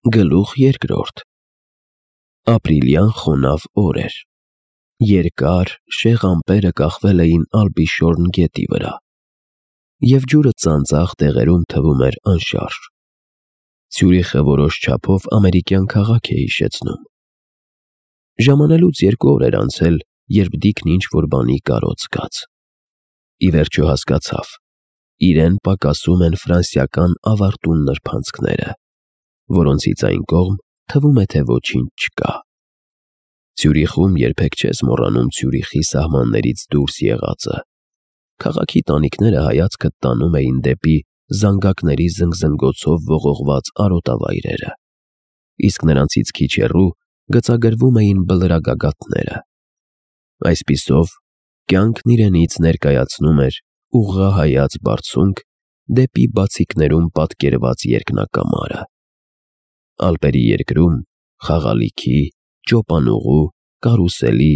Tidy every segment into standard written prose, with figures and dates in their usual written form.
Գլուխ երկրորդ Ապրիլյան խոնավ օր էր։ Երկար, շեղ ամպերը կախվել էին Ալպիշորն գետի վրա, և ջուրը ծանծաղ տեղերում թվում էր անշարժ։ Ցյուրիխը որոշ չափով ամերիկյան քաղաք է հիշեցնում։ Ժամանելուց 2 օր էր անցել, երբ Դիքն ինչ-որ բանի կարոտ զգաց։ Ի վերջո հասկացավ. իրեն պակասում են ֆրանսիական ավարտուն նրբանցքները, որոնցից այն կողմ թվում է, թե ոչինչ չկա։ Ցյուրիխում երբեք չես մոռանում Ցյուրիխի սահմաններից դուրս եղածը։ Քաղաքի տանիքները հայացքդ տանում էին դեպի զանգակների զնգզնգոցով ողողված արոտավայրերը, իսկ նրանցից քիչ հեռու գծագրվում էին բլրագագաթները։ Այսպիսով, կյանքն իրենից ներկայացնում էր ուղղահայաց բարձունք դեպի բացիկներում պատկերված երկնակամարը։ Ալպերի երկրում, խաղալիքի, ճոպանուղու, կարուսելի,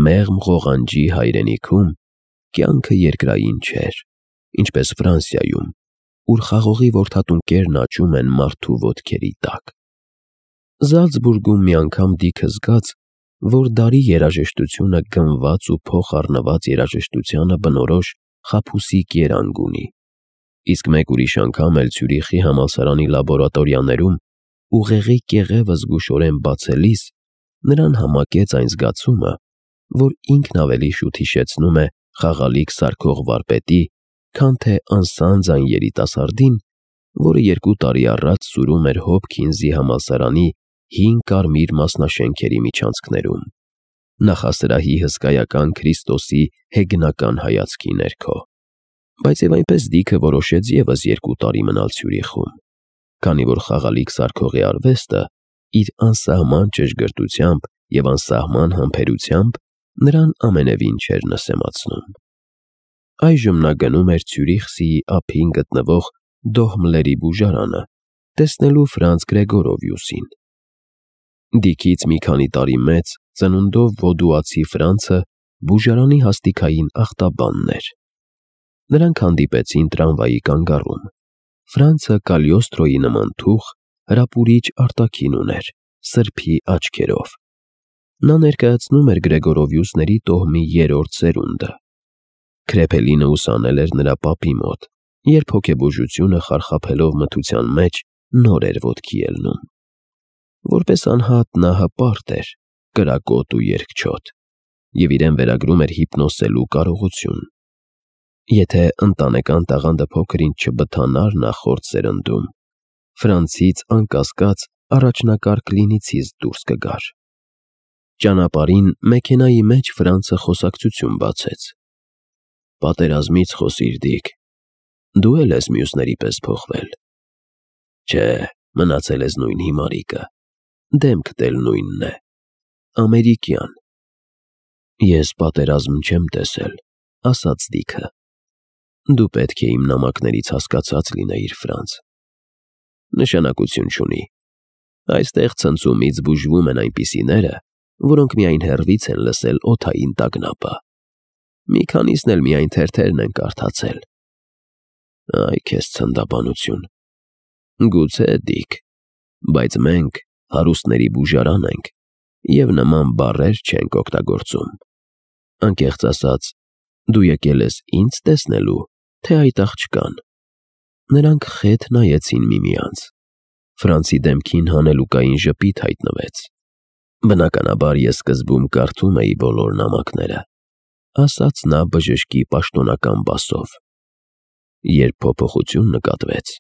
մեղմ ղողանջի հայրենիքում կյանքը երկրային չէր, ինչպես Ֆրանսիայում, ուր խաղողի որդատունկերն աճում են մարդու ոտքերի տակ։ Զալցբուրգում մի անգամ Դիքը զգաց, որ դարի երաժշտությունը գնված ու փոխառնված երաժշտությանը բնորոշ խաբուսիկ երանգ ունի, իսկ մեկ ուրիշ անգամ էլ Ցյուրիխի համալսարանի լաբորատորիաներում ուղեղի կեղևը զգուշորեն բացելիս նրան համակեց այն զգացումը, որ ինքն ավելի շուտ հիշեցնում է խաղալիք սարքող վարպետի, քան թե անսանձ այն երիտասարդին, որը 2 տարի առաջ սուրում էր Հոփքինզի համալսարանի հին կարմիր մասնաշենքերի միջանցքներում, նախասրահի հսկայական Քրիստոսի հեգնական հայացքի ներքո։ Բայց և այնպես Դիքը որոշեց ևս 2 տարի մնալ Ցյուրիխում, քանի որ խաղալիք սարքողի արվեստը իր անսահման ճշգրտությամբ և անսահման համբերությամբ նրան ամենևին չէր նսեմացնում։ Այժմ նա գնում էր Ցյուրիխսիի ափին գտնվող Դոհմլերի բուժարանը, տեսնելու Ֆրանց Գրեգորովիուսին։ Դիքից մի քանի տարի մեծ, ծնունդով վոդուացի Ֆրանցը բուժարանի հաստիքային ախտաբանն էր։ Նրանք հանդիպեցին տրամվայի կանգառում։ Ֆրանցը Կալիոստրոյի նման թուխ, հրապուրիչ արտաքին ուներ, սրբի աչքերով։ Նա ներկայացնում էր Գրեգորովիուսների տոհմի 3-րդ սերունդը։ Քրեփելինը ուսանել էր նրա պապի մոտ, երբ հոգեբուժությունը խարխափելով մթության մեջ նոր էր ոտքի ելնում։ Որպես անհատ նա հպարտ էր, կրակոտ ու երկչոտ, և իրեն վերագրում էր հիպնոսելու կարողություն։ Եթե ընտանեկան տաղանդը փոքր-ինչ չբթանար նախորդ սերնդում, Ֆրանցից անկասկած առաջնակարգ կլինիցիստ դուրս կգար։ Ճանապարհին մեքենայի մեջ Ֆրանցը խոսակցություն բացեց. «Պատերազմից խոսիր, Դիք, դու էլ ես մյուսների պես փոխվել»։ «Չէ, մնացել ես նույն հիմարիկը, դեմքդ էլ նույնն է, ամերիկյան»։ «Ես պատերազմ չեմ տեսել», ասաց Դիքը։ «Դու պետք է իմ նամակներից հասկացած լինեիր, Ֆրանց»։ «Նշանակություն չունի։ Այստեղ ցնցումից բուժվում են այնպիսիները, որոնք միայն հեռվից են լսել օդային տագնապը։ Մի քանիսն էլ միայն թերթերն են կարդացել»։ «Այ քեզ ցնդաբանություն»։ «Գուցե, Դիք, բայց մենք հարուստների բուժարան ենք և նման բառեր չենք օգտագործում։ Անկեղծ ասած, դու եկել ես ինձ տեսնելու, թե այդ աղջկան»։ Նրանք խետ նայեցին միմյանց։ Ֆրանցի դեմքին հանելուկային ժպիտ հայտնվեց։ «Բնականաբար ես սկզբում կարդում էի բոլոր նամակները», ասաց նա բժշկի պաշտոնական բասով։ Երբ փոփոխություն նկատվեց,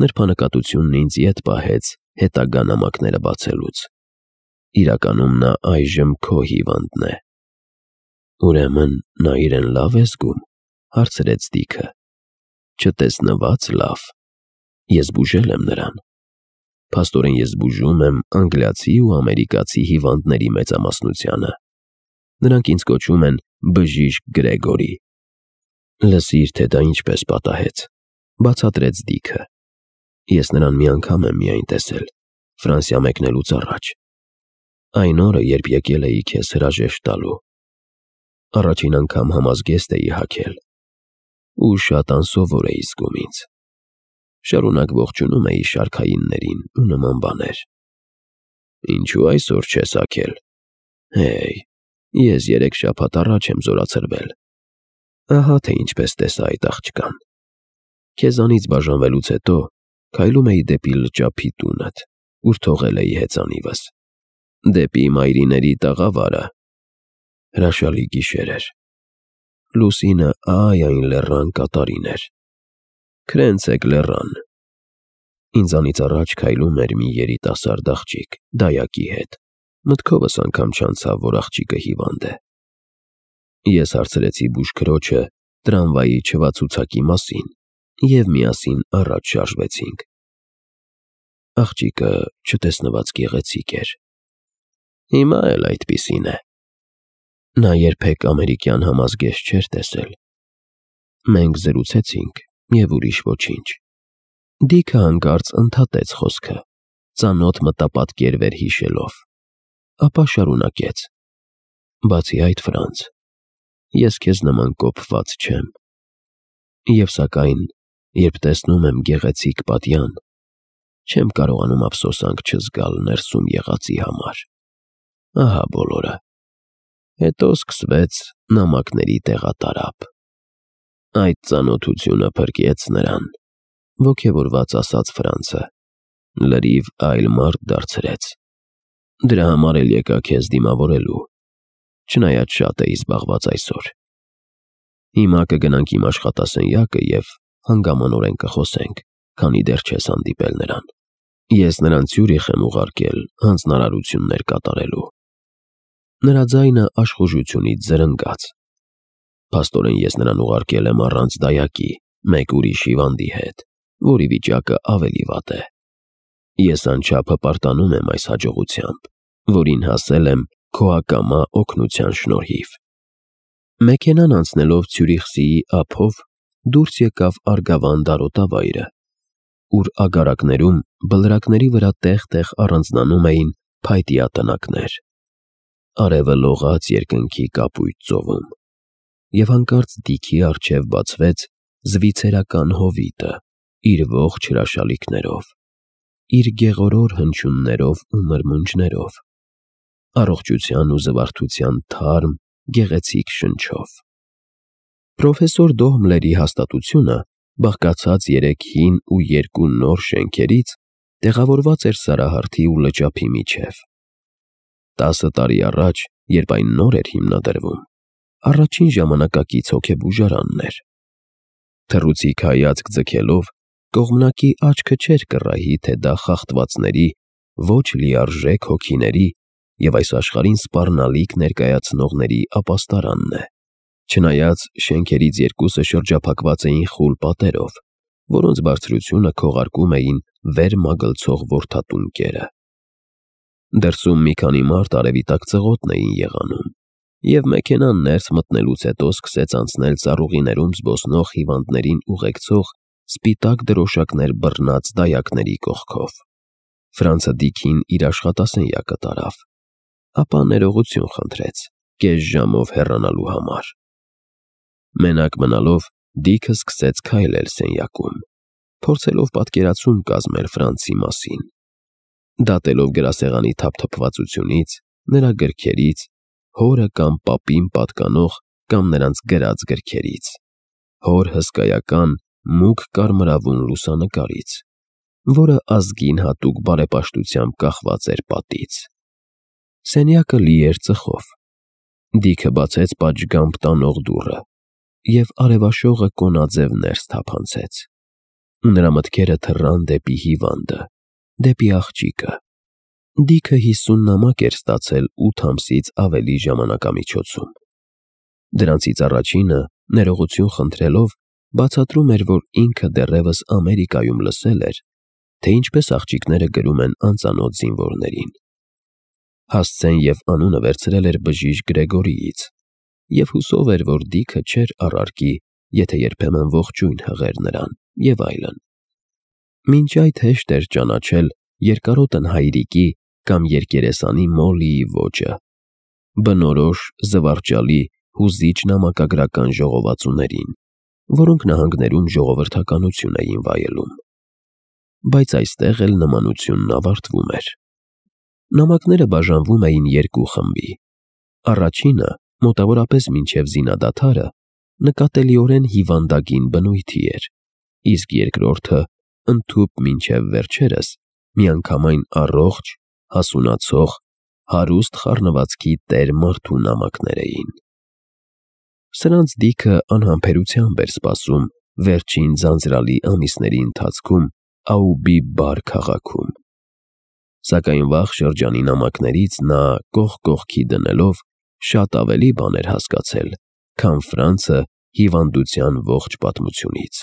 նրբանկատությունն ինձ ետ պահեց հետագա նամակները բացելուց։ Իրականում նա այժմ քո հիվանդն է։ «Ուրեմն նա իրեն լավ է զգում», հարցրեց Դիքը։ «Չտեսնված լավ։ Ես բուժել եմ նրան։ Փաստորեն ես բուժում եմ անգլիացի ու ամերիկացի հիվանդների մեծամասնությանը։ Նրանք ինձ կոչում են բժիշկ Գրեգորի»։ «Լսիր, թե դա ինչպես պատահեց», բացատրեց Դիքը։ «Ես նրան մի անգամ եմ միայն տեսել, Ֆրանսիա մեկնելուց առաջ։ Այն օրը, երբ եկել էի քեզ հրաժեշտ տալու։ Առաջին անգամ համազգեստ էի հագել ու շատ անսովոր էի զգում ինձ։ շարունակ ողջունում էի շարքայիններին ու նման բաներ։ Ինչու այսօր չես աքել։ Հեյ, ես 3 շաբաթ առաջ եմ զորացրվել։ Ահա թե ինչպես տեսա այդ աղջկան։ Քեզանից բաժանվելուց հետո քայլում էի դեպի լճափի տունդ, ուր թողել էի հեծանիվս։ Դեպի մայրիների տաղավարը։ Հրաշալի գիշեր էր։ Լուսինը այն լեռան կատարին էր։ Քրենցեք լեռան։ Ինձանից առաջ քայլում էր մի երիտասարդ աղջիկ, դայակի հետ։ Մտքովս անգամ չանցավ, որ աղջիկը հիվանդ է։ Ես հարցրեցի բուժքրոջը տրամվայի չվացուցակի մասին և միասին առաջ շարժվեցինք։ Աղջիկը չտեսնված գեղեցիկ էր։ Հիմա էլ այդպիսին է։ Նա երբեք ամերիկյան համազգեստ չէր տեսել։ Մենք զրուցեցինք և ուրիշ ոչինչ։ Դիքը հանկարծ ընդհատեց խոսքը, ծանոթ մտապատկերներ հիշելով, ապա շարունակեց. Բացի այդ, Ֆրանց, ես քեզ նման կոփված չեմ։ Եվ սակայն, երբ տեսնում եմ գեղեցիկ պատյան, չեմ կարողանում ափսոսանք չզգալ ներսում եղածի համար։ Ահա բոլորը։ Հետո սկսվեց նամակների տեղատարափ։ Այդ ծանոթությունը փրկեց նրան, ոգևորված ասաց Ֆրանցը, լրիվ այլ մարդ դարձրեց։ Դրա համար էլ եկա քեզ դիմավորելու, չնայած շատ էի զբաղված այսօր։ Հիմա կգնանք իմ աշխատասենյակը և հանգամանորեն կխոսենք, քանի դեռ չես հանդիպել նրան։ Ես նրան Ցյուրիխ եմ ուղարկել հանձնարարություններ կատարելու։ Նրա ձայնը աշխուժությունից զրնգաց։ Փաստորեն ես նրան ուղարկել եմ առանց դայակի, մեկ ուրիշ հիվանդի հետ, որի վիճակը ավելի վատ է։ Ես անչափ հպարտանում եմ այս հաջողությամբ, որին հասել եմ քո ակամա օգնության շնորհիվ։ Մեքենան անցնելով Ցյուրիխսիի ափով դուրս եկավ Արգավան դարոտավայրը, ուր ագարակներում բլրակների վրա տեղ-տեղ առանձնանում էին փայտյա տնակներ։ Արևը լողաց երկնքի կապույտ ծովում, և հանկարծ դիքի առջև բացվեց զվիցերական հովիտը իր ողջ հրաշալիքներով, իր գեղորոր հնչյուններով ու մրմունջներով, առողջության ու զվարթության թարմ, գեղեցիկ շնչով։ Պրոֆեսոր Դոհմլերի հաստատությունը, բաղկացած 3 հին ու 2 նոր շենքերից, տեղավորված էր Սարահարթի ու լճափի միջև։ 10 տարի առաջ, երբ այն նոր էր հիմնադրվում, առաջին ժամանակակից հոգեբուժարանն էր։ Թռուցիկ հայացք ձգելով, կողմնակի աչքը չէր կռահի, թե դա խախտվածների, ոչ լիարժեք հոգիների և այս աշխարհին սպառնալիք ներկայացնողների ապաստարանն է։ Չնայած շենքերից 2-ը շրջափակված էին խուլ պատերով, որոնց բարձրությունը քողարկում էին վեր մագլցող որդատուն կերը։ Դրսում մի քանի մարդ արևի տակ ծղոտ էին եղանում, և մեքենան ներս մտնելուց հետո սկսեց անցնել ծառուղիներում զբոսնող հիվանդներին ուղեկցող սպիտակ դրոշակներ բռնած դայակների կողքով։ Ֆրանցը Դիքին իր աշխատասենյակը տարավ, ապա ներողություն խնդրեց կես ժամով հեռանալու համար։ Մենակ մնալով Դիքը սկսեց քայլել սենյակում, փորձելով պատկերացում կազմել Ֆրանցի մասին, դատելով գրասեղանի թափթփվածությունից, նրա գրքերից, հորը կամ պապին պատկանող կամ նրանց գրած գրքերից, հոր հսկայական մուգ կարմրավուն լուսանկարից, որը ազգին հատուկ բարեպաշտությամբ կախված էր պատից։ Սենյակը լի էր ծխով։ Դիքը բացեց պատշգամբ տանող դուռը, և արևաշողը կոնաձև ներս թափանցեց։ Նրա մտքերը թռան դեպի հիվանդը, դեպի աղջիկը։ Դիքը 50 նամակ էր ստացել 8 ամսից ավելի ժամանակամիջոցում։ Դրանցից առաջինը, ներողություն խնդրելով, բացատրում էր, որ ինքը դեռևս Ամերիկայում լսել էր, թե ինչպես աղջիկները գրում են անծանոթ զինվորներին։ Հասցեն և անունը վերցրել էր բժիշկ Գրեգորիից, և հուսով էր, որ Դիքը չէր առարկի, եթե երբեմն ողջույն հղեր նրան, և այլն։ Մինչ այդ հեշտ էր ճանաչել երկարոտն հայրիկի կամ երկերեսանի Մոլլիի ոճը, բնորոշ, զվարճալի, հուզիչ նամակագրական ժողովածուներին, որոնք նահանգներում ժողովրդականություն էին վայելում։ բայց այստեղ էլ նմանությունն ավարտվում էր։ Նամակները բաժանվում էին երկու խմբի։ Առաջինը, մոտավորապես մինչև զինադադարը, նկատելիորեն հիվանդագին բնույթի էր, իսկ երկրորդը ընդհուպ մինչև վերջերս միանգամայն առողջ, հասունացող, հարուստ խառնվածքի տեր մարդու նամակներ էին։ Սրանց դիքը անհամբերությամբ էր սպասում վերջին ձանձրալի ամիսների ընթացքում Աուբի Բար քաղաքում։ Սակայն վաղ շրջանի նամակներից նա կողք-կողքի դնելով շատ ավելի բան էր հասկացել, քան Ֆրանցը հիվանդության ողջ պատմությունից։